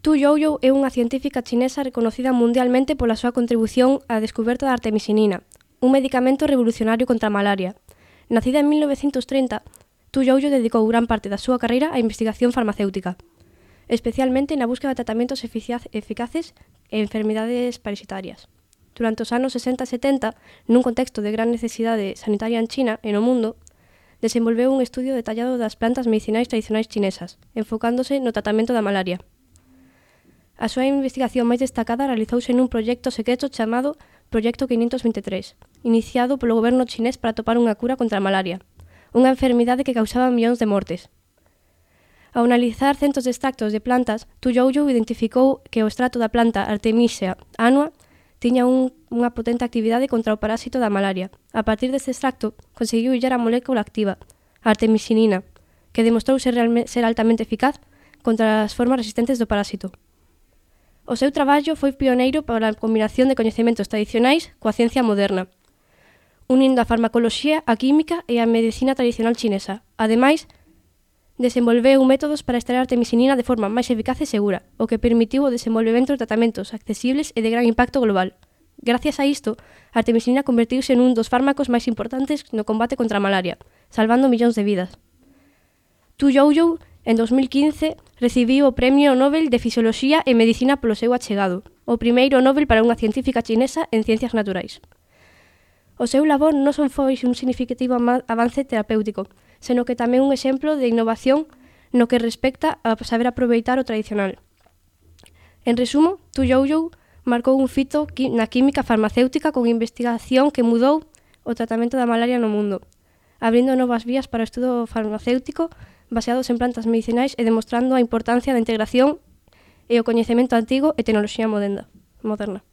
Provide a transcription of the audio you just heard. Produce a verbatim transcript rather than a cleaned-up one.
Tu Youyou é unha científica chinesa reconocida mundialmente pola súa contribución á descoberta da artemisinina, un medicamento revolucionario contra a malaria. Nacida en mil novecientos trinta, Tu Youyou dedicou gran parte da súa carreira á investigación farmacéutica, especialmente na búsqueda de tratamentos eficaces en enfermidades parasitarias. Durante os anos sesenta e setenta, nun contexto de gran necesidade sanitaria en China e no mundo, desenvolveu un estudio detallado das plantas medicinais tradicionais chinesas, enfocándose no tratamento da malaria. A súa investigación máis destacada realizouse nun proxecto secreto chamado Proxecto quinientos veintitrés, iniciado polo goberno chinés para atopar unha cura contra a malaria, unha enfermidade que causaba millóns de mortes. Ao analizar centos de extractos de plantas, Tu Youyou identificou que o extracto da planta Artemisia annua tiña un, unha potente actividade contra o parásito da malaria. A partir deste extracto, conseguiu illar a molécula activa, a artemisinina, que demostrou ser, realme, ser altamente eficaz contra as formas resistentes do parásito. O seu traballo foi pioneiro para a combinación de coñecementos tradicionais coa ciencia moderna, unindo a farmacoloxía, a química e a medicina tradicional chinesa. Ademais, desenvolveu métodos para extraer a artemisinina de forma máis eficaz e segura, o que permitiu o desenvolvemento de tratamentos accesibles e de gran impacto global. Gracias a isto, a artemisinina convertiuse en un dos fármacos máis importantes no combate contra a malaria, salvando millóns de vidas. Tu Youyou, en dos mil quince, recibiu o Premio Nobel de Fisioloxía e Medicina polo seu achegado, o primeiro Nobel para unha científica chinesa en ciencias naturais. O seu labor non son foi un significativo avance terapéutico, senón que tamén un exemplo de innovación no que respecta a saber aproveitar o tradicional. En resumo, Tu Youyou marcou un fito na química farmacéutica con investigación que mudou o tratamento da malaria no mundo, abrindo novas vías para o estudo farmacéutico baseados en plantas medicinais e demostrando a importancia da integración e o coñecemento antigo e tecnoloxía moderna.